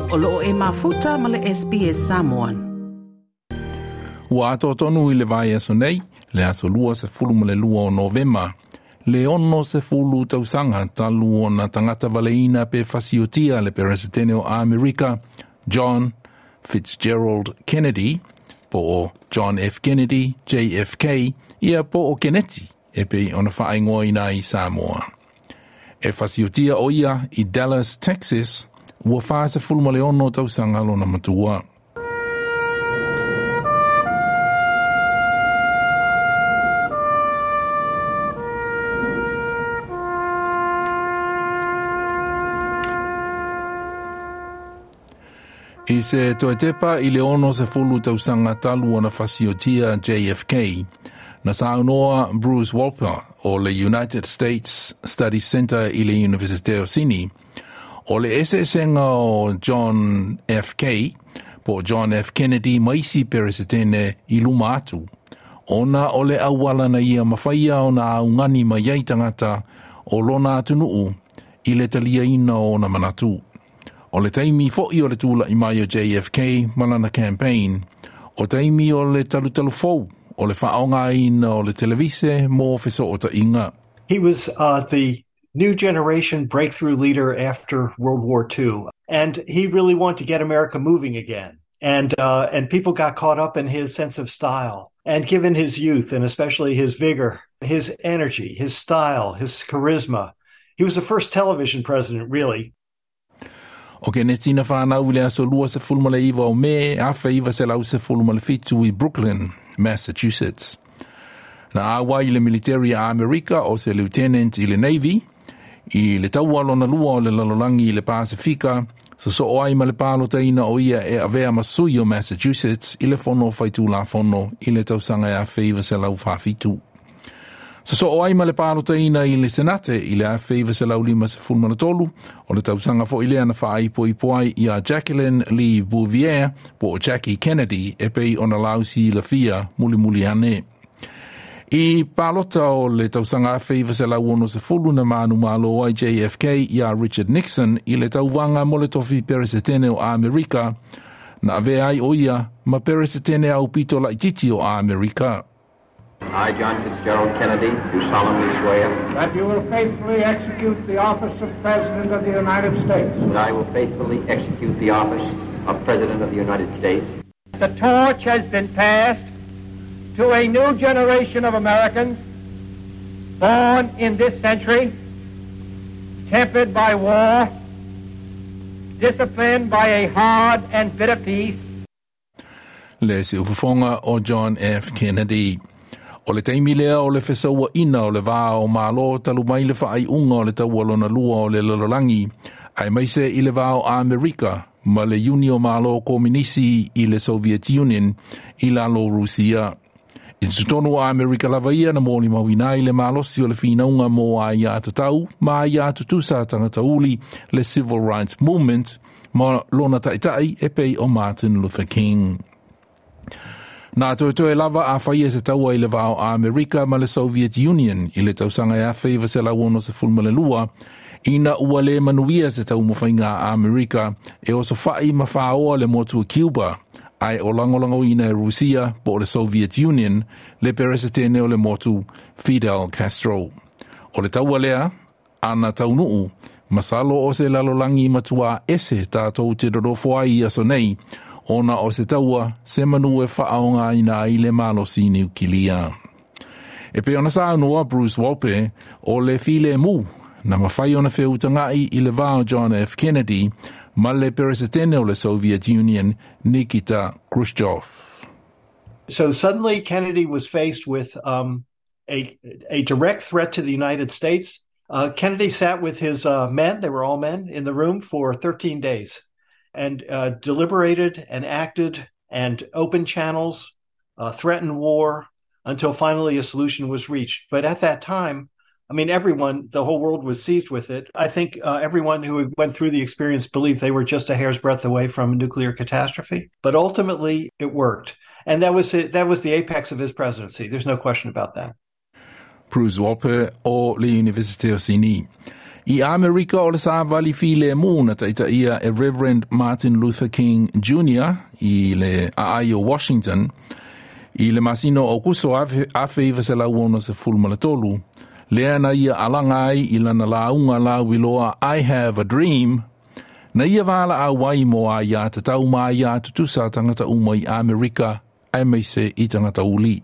O loo e mafuta ma le SBS Samoan. Ua atoa tonu i le vaiaso nei, le aso 22 o Novema, le 60 tausaga talu ona tagatavaleina pe fasiotia le Peresetene o Amerika, John Fitzgerald Kennedy, po o John F. Kennedy, JFK, ia po o Keneti, e pei ona faaigoaina i Samoa. E fasiotia o ia i Dallas, Texas, ua 46 tausaga lona matua. I se toe tepa i le 60 tausaga talu ona fasiotia JFK, na saunoa Bruce Wolpe o le United States Study Center i le Universite o Sini, o le eseesega o John F. K. po o John F. Kennedy ma isi Peresetene i luma atu, ona o le auala na ia mafaia ona augani mai ai tagata o lona atunuu i le taliaina o ona manatu. O le taimi fo'i o le tula'i mai o JFK ma lana campaign, o taimi o le talutalufou o le faaaogaina o le televise mo fesoota'iga. He was the new generation breakthrough leader after World War II, and he really wanted to get America moving again. And people got caught up in his sense of style. And given his youth, and especially his vigor, his energy, his style, his charisma, he was the first television president, really. O Keneti na whanau i le aso 29 o Me 1917 i Brooklyn, Massachusetts. Na auai i le military a Amerika o se lieutenant i le Navy, i le taua lona lua o le lalolagi i le Pasifika, sosoo ai ma le palotaina o ia e avea ma sui o Massachusetts i le Fono Faitulafono i le tausaga 1947. Sosoo ai ma le palotaina i le Senate i le 1953, o le tausaga fo'i lea na faaipoipo ai iā Jacqueline Lee Bouvier po o Jackie Kennedy e pei ona lausilafia mulimuli ane. I palota o le tausaga 1960 na manumalo ai JFK iā Richard Nixon i le tauvaga mo le tofi Peresetene o Amerika, na avea ai o ia ma Peresetene aupito laitiiti o Amerika. I, John Fitzgerald Kennedy, do solemnly swear that you will faithfully execute the office of President of the United States. That I will faithfully execute the office of President of the United States. The torch has been passed to a new generation of Americans born in this century, tempered by war, disciplined by a hard and bitter peace. Le siufofoga o John F. Kennedy. O le taimi lea o le fesauaʻina o le va o Malo talu mai le faaiuga o le Taua Lona Lua o le Lalolagi, aemaise i le va o Amerika ma le Iuni o Malo Kominisi i le Soviet Union i lalo o Rusia. I totonu o Amerika lava ia na molimauina ai le malosi o le finauga mo aiā tatau ma aiā tutusa a tagata uli, le Civil Rights Movement, ma lona taitai e pei o Martin Luther King. Na toetoe lava a faia se taua i le va o Amerika ma le Soviet Union i le tausaga e 1962, ina ua le manuia se taumafaiga a Amerika e osofa'i ma faoa le motu o Cuba, ae o lagolagoina e Rusia po o le Soviet Union le Peresetene o le motu Fidel Castro. O le taua lea, ana taunuu, masalo o se lalolagi matuā ese tatou te nonofo ai i aso nei, ona o se taua se manu e faaaogaina ai le malosi niukilia. E pei ona saunoa Bruce Wolpe, o le filemu na mafai ona feutaga'i i le va o John F. Kennedy ma le Peresetene o le Soviet Union Nikita Khrushchev. So suddenly Kennedy was faced with a direct threat to the United States. Kennedy sat with his men, they were all men, in the room for 13 days and deliberated and acted and opened channels, threatened war, until finally a solution was reached. But at that time, I mean, everyone, the whole world was seized with it. I think everyone who went through the experience believed they were just a hair's breadth away from a nuclear catastrophe. But ultimately, it worked. And that was it, that was the apex of his presidency. There's no question about that. Bruce Wolpe o le Universite o Sini. I Amerika o le savali filemu na taitaia e Reverend Martin Luther King Jr. I le aai o Washington i le masina o Aokuso 1963, lea na ia alaga ai i lana lauga lauiloa I Have a Dream, na ia valaau ai mo aiā tatau ma aiā tutusa a tagata uma i Amerika aemaise i tagata uli.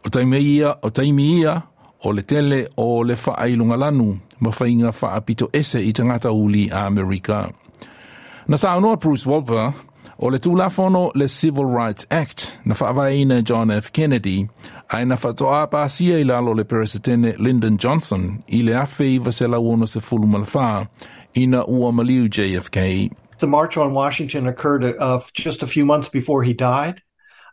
O taimi ia, o taimi ia, o le tele o le faailogalanu ma faiga faapito ese i tagata uli a Amerika. Na saunoa Bruce Wolpe, o le Tulafono le Civil Rights Act na faavaeina e John F. Kennedy ae na faatoa pasia i lalo o le Peresetene Lyndon Johnson i le 1964 ina ua maliu JFK. The March on Washington occurred just a few months before he died.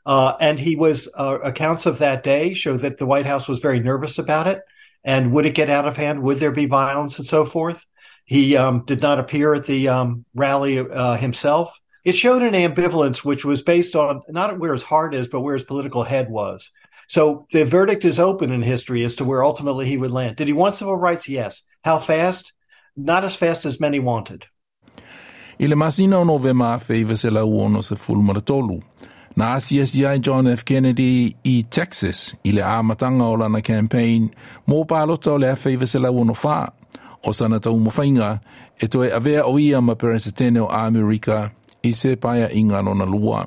And he was accounts of that day show that the White House was very nervous about it. And would it get out of hand? Would there be violence and so forth? He did not appear at the rally himself. It showed an ambivalence, which was based on not where his heart is, but where his political head was. So the verdict is open in history as to where ultimately he would land. Did he want civil rights? Yes. How fast? Not as fast as many wanted. I le masina o Novema 1963, na asiasi ai John F. Kennedy i Texas i le amataga o lana campaign mo palota o le 1964, o sana taumafaiga e toe avea o ia ma Peresetene o Amerika i se paeaiga lona lua.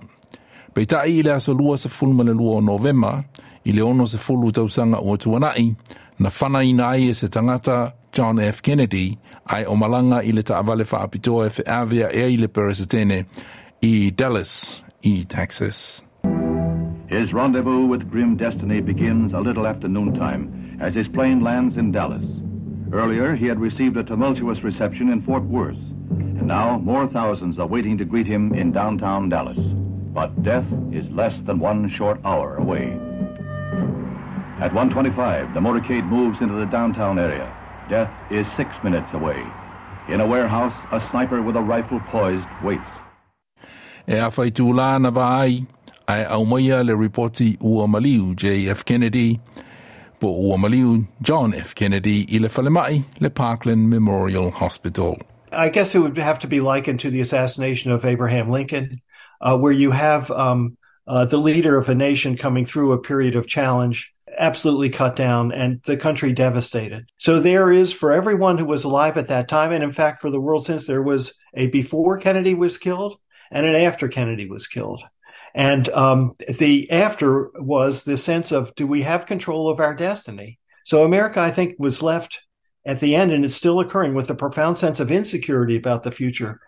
Peitai i le aso 22 o Novema, i le 60 tausaga ua tuanai, na fanaina ai e se tagata John F. Kennedy ae o malaga i le taavale faapitoa e feavea'i ai le Peresetene i Dallas, i Texas. His rendezvous with grim destiny begins a little after noontime as his plane lands in Dallas. Earlier, he had received a tumultuous reception in Fort Worth, and now more thousands are waiting to greet him in downtown Dallas. But death is less than one short hour away. At 1:25, the motorcade moves into the downtown area. Death is 6 minutes away. In a warehouse, a sniper with a rifle poised waits. E afa itulā na vaai, ae aumaia le ripoti ua maliu JF Kennedy, po ua maliu John F. Kennedy i le falemai le Parkland Memorial Hospital. I guess it would have to be likened to the assassination of Abraham Lincoln, where you have the leader of a nation coming through a period of challenge, absolutely cut down and the country devastated. So there is, for everyone who was alive at that time, and in fact for the world since, there was a before Kennedy was killed and an after Kennedy was killed. And the after was the sense of, do we have control of our destiny? So America, I think, was left at the end, and it's still occurring, with a profound sense of insecurity about the future.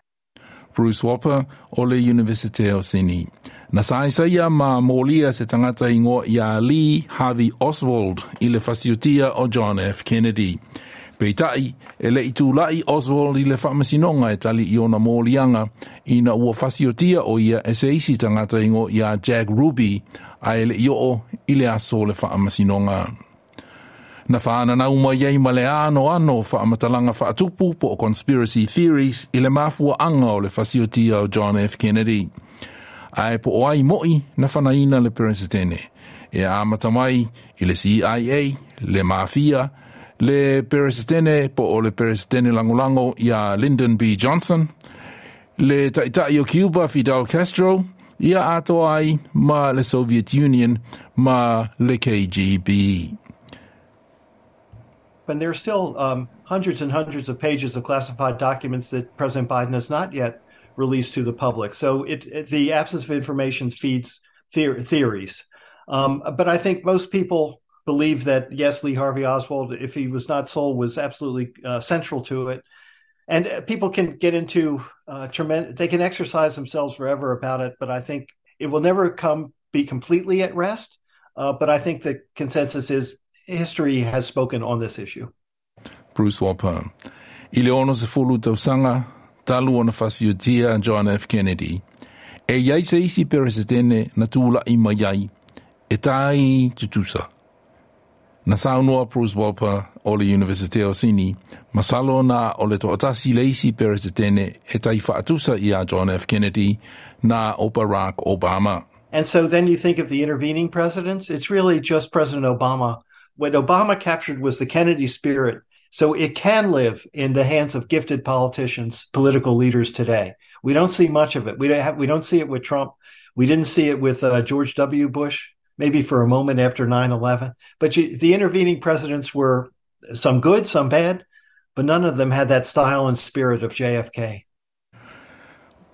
Bruce Wolpe o le Universite o Sydney. Na saisai ma molia se tagata ingoa ia Lee Harvey Oswald i le fasiotia o John F. Kennedy. Peitai, e le i tula'i Oswald i le faamasinoga e tali i ona moliaga ina ua fasiotia o ia e se isi tagata ingoa ia Jack Ruby ae e le i oo i le aso o le faamasinoga. Na whaananau mai ai ma le ano ano whaamatalaga faatupu po o conspiracy theories i le mafuaanga o le fasiotia o John F. Kennedy. Ae po o ai moi na fanaina le Peresetene. E amata mai i le CIA, le mafia, le Peresetene po o le Peresetene lagolago ia Lyndon B. Johnson, le taitai o Cuba Fidel Castro, ia atoa ai ma le Soviet Union ma le KGB. And there are still hundreds and hundreds of pages of classified documents that President Biden has not yet released to the public. So the absence of information feeds theories. But I think most people believe that, yes, Lee Harvey Oswald, if he was not sole, was absolutely central to it. And people can get into tremendous, they can exercise themselves forever about it, but I think it will never come be completely at rest. But I think the consensus is history has spoken on this issue. Bruce Wolpe. I le 60 tausaga talu ona fasiotia John F. Kennedy. E iai se isi peresetene na tula'i mai ai, e tai tutusa. Na saunoa Bruce Wolpe o le Universite o Sydney, masalo na o le toatasi le isi peresetene e tai faatusa ia John F. Kennedy na o Barack Obama. And so then you think of the intervening presidents, it's really just President Obama. What Obama captured was the Kennedy spirit. So it can live in the hands of gifted politicians, political leaders today. We don't see much of it. We don't have, we don't see it with Trump. We didn't see it with George W. Bush, maybe for a moment after 9/11. But the intervening presidents were some good, some bad, but none of them had that style and spirit of JFK.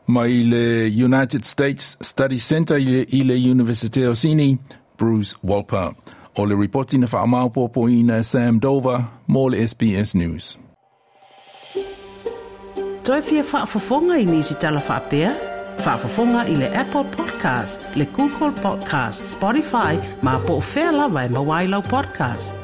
Mai le United States Study Center i le Universite o Sini, Bruce Wolper. O le ripoti na whaamaopopoina Sam Dover mo le SBS News. Toe fia faafofoga i nisi tala faapea? Faafofoga i le Apple Podcast, le Google Podcast, Spotify, ma po o fea lava e maua ai lau podcast.